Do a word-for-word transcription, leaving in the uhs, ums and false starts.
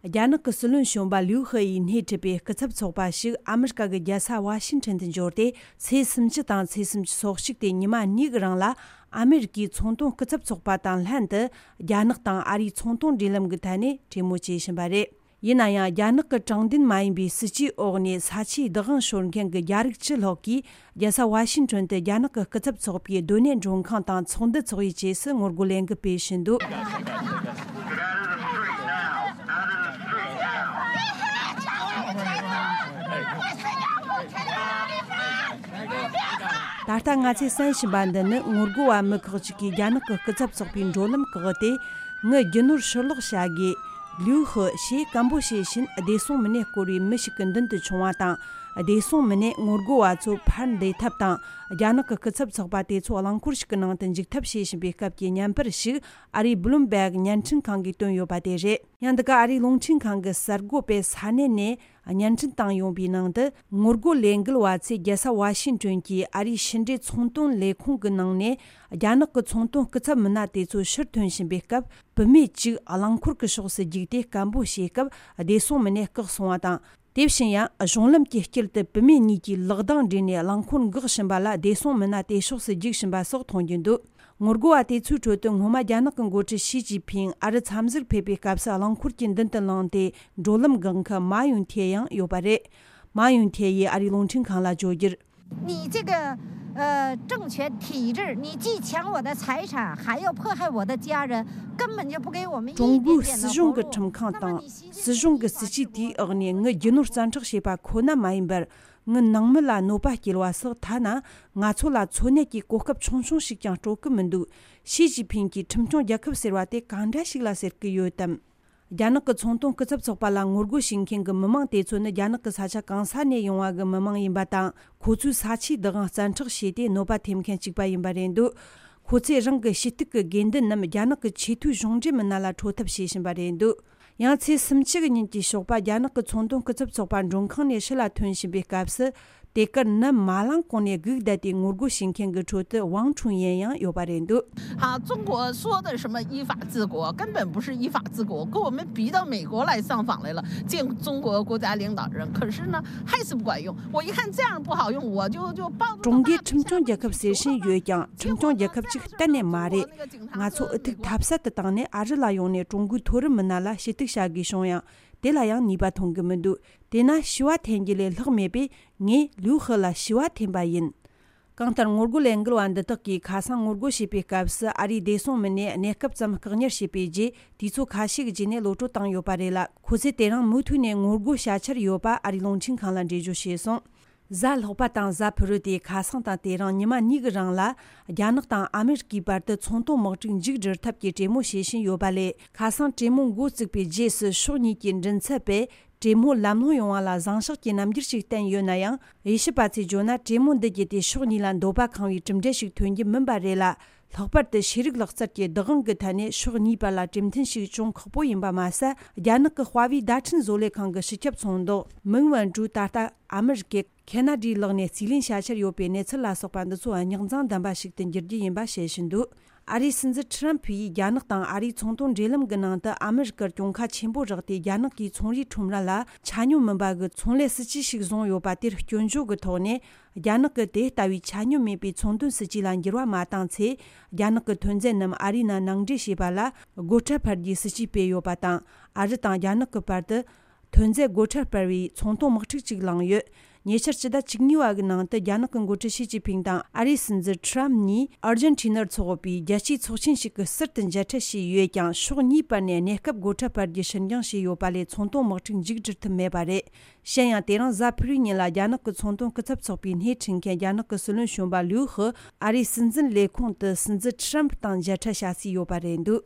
རྒྱ་ནག་གི་སྲིད་བློན་གཞོན་པ་ལིའུ་ཧེ་ཡིས་སྣེ་ཁྲིད་པའི་སྐུ་ཚབ་ཚོགས་པ་ཞིག་ཨ་མི་རི་ཀ་གི་རྒྱལ་ས་ཝ་ཤིང་ཊོན་དུ་འབྱོར་ཏེ། ཚེས་སུམ་ཅུ་དང་ཚེས་སུམ་ཅུ་སོ་གཅིག་སྟེ་ཉི་མ་གཉིས་ཀྱི་རིང་ལ། ཨ་མི་རི་ཀའི་ཚོང་དོན་སྐུ་ཚབ་ཚོགས་པ་དང་ལྷན་དུ། རྒྱ་ནག་དང་ཨ་རིའི་ཚོང་དོན་འབྲེལ་ལམ་གྱི་ཐད་ནས་གྲོས་མོལ་བྱེད་བཞིན་པ་རེད། ཡིན་ན་ཡང་། རྒྱ་ནག་གི་དྲང་བདེན་མ་ཡིན་པའི་སྲིད་ཇུས་འོག་ནས་ས་ཆའི་བདག་དབང་ཤོར་མཁན་གྱི་རྒྱ་རིགས་ཕྱི་ལོགས་ཀྱིས། རྒྱལ་ས་ཝ་ཤིང་ཊོན་དུ་རྒྱ་ནག་གི་སྐུ་ཚབ་ཚོགས་པའི་སྡོད་གནས་མགྲོན་ཁང་དང་ཚོགས་འདུ་འཚོགས་པའི་རྗེས་སུ་ངོ་རྒོལ་ལས་འགུལ་སྤེལ་བཞིན་འདུག་ད་ལྟ་ང་ཚོས་གསན་བཞིན་པ་འདི་ནི། ངོ་རྒོལ་བ་མི་ཁག་ཅིག་གིས་རྒྱ་ནག་གི་སྐུ་ཚབ་ཚོགས་པའི་འགྲོ་ལམ་བཀག་སྟེ། ངའི་རྒྱུ་ནོར་ཕྱིར་སློག་བྱ་དགོས། ལིའུ་ཧི་ཞེས་སྐད་འབོད་བྱེད་བཞིན། བདེ་སྲུང་མི་སྣས་བསྐོར་བའི་མི་ཞིག་གི་མདུན་དུ་མཆོང་བ་དང་། བདེ་སྲུང་མི་སྣས་ངོ་རྒོལ་བ་ཚོ་ཕར་འདེད་ཐབས་དང་། རྒྱ་ནག་གི་སྐུ་ཚབ་ཚོགས་པ་དེ་ཚོ་རླངས་འཁོར་ཞིག་གི་ནང་དུ་འཇུག་ཐབས་བྱེད་བཞིན་པའི་སྐབས་ཀྱི་བརྙན་པར་ཞིག་ཨ་རིའི་བྷི་ལུམ་བྷེག་བརྙན་འཕྲིན་ཁང་གིས་བཏོན་ཡོད་པ་དེ་རེད། ཡང་འདི་ག་ཨ་རིའི་རླུང་འཕྲིན་ཁང་གི་གསར་འགོད་པས་ས་གནས་ནས་བརྙན་འཕྲིན་བཏང་ཡོང་པའི་ནང་དུ། ངོ་རྒོལ་ལས་འགུལ་བ་ཚོས་རྒྱལ་ས་ཝ་ཤིང་ཊོན་གྱི་ཨ་རིའི་ཕྱི་འབྲེལ་ཚོང་དོན་ལས་ཁུངས་ཀྱི་ནང་ནས། རྒྱ་ནག་གི་ཚོང་དོན་སྐུ་ཚབ་མི་སྣ་དེ་ཚོ་ཕྱིར་ཐོན་བཞིན་པའི་སྐབས། བུད་མེད་ཅིག་རླངས་འཁོར་གྱི་ཕྱོགས་སུ་རྒྱུགས་ཏེ་སྐད་འབོད་བྱེད་སྐབས། བདེ་སྲུང་མི་སྣས་བཀག་སོང་བ་དང་། དེ་བཞིན་ཡང་། གཞུང་ལམ་གྱི་དཀྱིལ་དུ་བུད་མེད་གཉིས་ཀྱིས་ལག་གདང་སྦྲེལ་ནས་རླངས་འཁོར་འགག་བཞིན་པ་ལ། བདེ་སྲུང་མི་སྣ་དེ་ཕྱོགས་སུ་རྒྱུག་བཞིན་པ་སོགས་མཐོང་རྒྱུ་འདུག་ངོ་རྒོལ་བ་དེ་ཚོའི་ཁྲོད་དུ། སྔོན་མ་རྒྱ་ནག་གི་འགོ་ཁྲིད་ཞི་ཅིན་ཕིང་ཨ་རི་འཚམས་གཟིགས་ཕེབས་པའི་སྐབས་སུ། རླངས་འཁོར་གྱི་མདུན་དུ་ལངས་ཏེ། འགྲོ་ལམ་འགག་མཁན་མཱ་ཡུན་ཐེ་ཡང་ཡོད་པ་རེད། མཱ་ཡུན་ཐེ་ཡིས་ཨ་རིའི་རླུང་འཕྲིན་ཁང་ལ་བརྗོད་རྒྱུར། 你这个呃政权体制，你既抢我的财产，还要迫害我的家人，根本就不给我们一点点的活路。 ཀྲུང་གོའི་སྲིད་གཞུང་གི་ཁྲིམས་ཁང་དང་སྲིད་གཞུང་གི་སྲིད་ཇུས་དེའི་འོག་ནས། ངའི་རྒྱུ་ནོར་བཙན་འཕྲོག་བྱས་པ་ཁོ་ན་མ་ཡིན་པར། ངའི་ནང་མི་ལ་གནོད་པ་སྐྱེལ་བ་སོགས། ཐ་ན་ང་ཚོ་ལ་འཚོ་གནས་ཀྱི་གོ་སྐབས་ཆུང་ཆུང་ཞིག་ཀྱང་སྤྲོད་ཀྱི་མི་འདུག་ཞི་ཅིན་ཕིང་གིས་ཁྲིམས་སྐྱོང་རྒྱལ་ཁབ་ཟེར་བ་དེ་གང་འདྲ་ཞིག་ལ་ཟེར་གྱི་ཡོད་དམ། རྒྱ་ནག་གི་ཚོང་དོན་སྐུ་ཚབ་ཚོགས་པ་ལ་ངོ་རྒོལ་བྱེད་མཁན་གྱི་མི་མང་དེ་ཚོ་ནི། རྒྱ་ནག་གི་ས་ཆ་གང་ས་ནས་ཡོང་བ་གི་མི་མང་ཡིན་པ་དང་། ཁོ་ཚོའི་ས་ཆའི་བདག་དབང་བཙན་འཕྲོག་བྱས་ཏེ་གནོད་པ་ཐེབས་མཁན་གཅིག་པ་ཡིན་པ་རེད་འདུག་ཁོ་ཚོས་རང་གི་ཞུ་གཏུག་གི་དགོས་འདུན་རྣམས་རྒྱ་ནག་གི་ཆེས་མཐོའི་གཞུང་འབྲེལ་མི་སྣ་ལ་འཕྲོད་ཐབས་བྱེད་བཞིན་པ་རེད་འདུག་ཡང་ཚེས་སུམ་ཅུ་གི་ཉིན་གྱི་ཞོགས་པ། རྒྱ་ནག་གི་ཚོང་དོན་སྐུ་ཚབ་ཚོགས་པ་མགྲོན་ཁང་ནས་ཕྱི་ལ་ཐོན་བཞིན་པའི་སྐབས་སུ། དེ་གར་ནམ་མ་ལངས་གོང་ནས་སྒུག་བསྡད་དེ་ངོ་རྒོལ་བྱེད་མཁན་གྱི་ཁྲོད་དུ་ཝང་ཁྲུང་ཡན་ཡང་ཡོད་པ་རེད་འདུག 啊，中国说的什么依法治国，根本不是依法治国，跟我们比到美国来上访来了，见中国国家领导人，可是呢，还是不管用。我一看这样不好用，我就就抱住 ཀྲུང་གོས་ཁྲིམས་སྐྱོང་རྒྱལ་ཁབ་ཟེར་བཞིན་ཡོད་ཀྱང་། ཁྲིམས་སྐྱོང་རྒྱལ་ཁབ་ཅིག་གཏན་ནས་མ་རེད། ང་ཚོ་འུ་ཐུག་ཐབས་ཟད་དུ་བཏང་ནས་ཨ་རི་ལ་ཡོང་ནས་ཀྲུང་གོའི་མཐོ་རིམ་མི་སྣ་ལ་ཞུ་གཏུག་བྱ་དགོས་བྱུང་ཡང་། དེ་ལ་ཡང་ནུས་པ་ཐོན་གྱི་མི་འདུག་དེས་ན་ཞུ་བ་འཐེན་རྒྱུ་ལས་ལྷག་མེད་པས། ངས་ལིའུ་ཧི་ལ་ཞུ་བ་འཐེན་པ་ཡིན། གང་ལྟར། ངོ་རྒོལ་ལས་འགུལ་བ་འདི་དག་གིས་ཁ་སང་ངོ་རྒོལ་བྱེད་པའི་སྐབས་སུ། ཨ་རིའི་བདེ་སྲུང་མི་སྣས་གནས་སྐབས་ཙམ་བཀག་ཉར་བྱས་པའི་རྗེས། དུས་ཚོད་ཁ་ཤས་ཀྱི་རྗེས་ནས་གློད་གྲོལ་བཏང་ཡོད་པ་རེད་ལ། ཁོ་ཚོས་དེ་རིང་མུ་མཐུད་ནས་ངོ་རྒོལ་བྱ་འཆར་ཡོད་པ་ཨ་རིའི་རླུང་འཕྲིན་ཁང་ལ་འགྲེལ་བརྗོད་བྱས་སོང་། གཟའ་ལྷག་པ་དང་གཟའ་ཕུར་བུ་སྟེ། ཁ་སང་དང་དེ་རིང་ཉི་མ་གཉིས་ཀྱི་རིང་ལ། རྒྱ་ནག་དང་ཨ་མི་རི་ཀའི་བར་དུ་ཚོང་དོན་དམག་འཁྲུག་མཇུག་སྒྲིལ་ཐབས་ཀྱི་གྲོས་མོལ་བྱེད་བཞིན་ཡོད་པ་ལས། ཁ་སང་གྲོས་མོལ་འགོ་བཙུགས་པའི་རྗེས་སུ། ཕྱོགས་གཉིས་ཀྱི་མགྲིན་ཚབ་པས་གྲོས་མོལ་ལམ་ལྷོང་ཡོང་བ་ལ་བཟང་ཕྱོགས་ཀྱི་རྣམ་འགྱུར་ཞིག་བསྟན་ཡོད་ན་ཡང་། དབྱེ་ཞིབ་པ་ཚོས་བརྗོད་ན། གྲོས་མོལ་འདི་བརྒྱུད་དེ་ཕྱོགས་གཉིས་ལ་འདོད་པ་ཁེངས་བའི་གྲུབ་འབྲས་ཤིག་ཐོན་རྒྱུ་མིན་པ་རེད་ལ། ལྷག་པར་དུ་ཤེས་རིག་ལག་རྩལ་གྱི་བདག་དབང་གི་ཐད་ནས་ཕྱོགས་གཉིས་བར་ལ་གྲོས་མཐུན་ཞིག་བྱུང་ཁག་པོ་ཡིན་པ་མ་ཟད། རྒྱ་ནག་གི་ཧྭ་ཝེ་བརྡ་འཕྲིན་བཟོ་ལས་ཁང་གི་སྤྱི་ཁྱབ་ཚོང་དོན་མིང་ཝན་ཀྲུའུ་ད་ལྟ་ཨ་མི་རི་ཀའི་ཁེ་ན་ཌའི་ལག་ནས་རྩིས་ལེན་བྱ་འཆར་ཡོད་པའི་གནས་ཚུལ་ལ་སོགས་པ་འདི་ཚོ་རྙོག་འཛིང་ལྡན་པ་ཞིག་ཏུ་འགྱུར་རྒྱུ་ཡིན་པ་བཤད་བཞིན་འདུག་ཨ་རིའི་སྲིད་འཛིན་ཁྲི་རམ་ཕུ་ཡིས་རྒྱ་ནག་དང་ཨ་རིའི་ཚོང་དོན་འབྲེལ་ལམ་གྱི་ནང་དུ་ཨ་མི་རི་ཀར་གྱོང་ཁ་ཆེན་པོ་རག་སྟེ། རྒྱ་ནག་གིས་ཚོང་རའི་ཁྲོམ་ར་ལ་ཆ་སྙོམས་མིན་པ་གི་ཚོང་ལས་སྲིད་ཇུས་ཤིག་བཟུང་ཡོད་པ་དེར་སྐྱོན་བརྗོད་ཀྱི་ཐོག་ནས། རྒྱ་ནག་གིས་དེ་ལྟ་བུའི་ཆ་སྙོམས་མེད་པའི་ཚོང་དོན་སྲིད་ཇུས་ལ་འགྱུར་བ་མ་བཏང་ཚེ། རྒྱ་ནག་གི་ཐོན་རྫས་རྣམས་ཨ་རིའི་ནང་ནང་འདྲེན་བྱེད་པ་ལ་སྒོ་ཁྲལ་འཕར་རྒྱུའི་སྲིད་ཇུས་སྤེལ་ཡོད་པ་དང་། ཨ་རི་དང་རྒྱ་ནག་གི་བར་དུ། ཐོན་རྫས་སྒོ་ཁྲལ་སྤར་བའི་ཚོང་དོན་དམག་འཁྲུག་ཅིག་ལངས་ཡོད། ཉེ་ཆར་སྤྱི་ཟླ་བཅུ་གཉིས་པ་གི་ནང་དུ། རྒྱ་ནག་གི་འགོ་ཁྲིད་ཞི་ཅིན་ཕིང་དང་ཨ་རིའི་སྲིད་འཛིན་ཁྲི་རམ་གཉིས་ཨར་ཇན་ཊི་ན་འཚོགས་པའི་རྒྱལ་སྤྱིའི་ཚོགས་ཆེན་ཞིག་གི་ཟུར་དུ་མཇལ་འཕྲད་བྱས་ཡོད་ཀྱང་། ཕྱོགས་གཉིས་བར་ནས་གནས་སྐབས་སྒོ་ཁྲལ་སྤར་རྒྱུ་ཕྱིར་འགྱངས་བྱས་ཡོད་པ་ལས། ཚོང་དོན་དམག་འཁྲུག་མཇུག་སྒྲིལ་ཐུབ་མེད་པ་རེད། གཞན་ཡང་། དེ་རིང་གཟའ་ཕུར་བུའི་ཉིན་ལ་རྒྱ་ནག་གི་ཚོང་དོན་སྐུ་ཚབ་ཚོགས་པའི་སྣེ་ཁྲིད་མཁན་རྒྱ་ནག་གི་སྲིད་བློན་གཞོན་པ་ལིའུ་ཧི་ཨ་རིའི་སྲིད་འཛིན་ལས་ཁུངས་དུ་སྲིད་འཛིན་ཁྲི་རམ་ཕུ་དང་མཇལ་འཕྲད་བྱ་རྩིས་ཡོད་པ་རེད་འདུག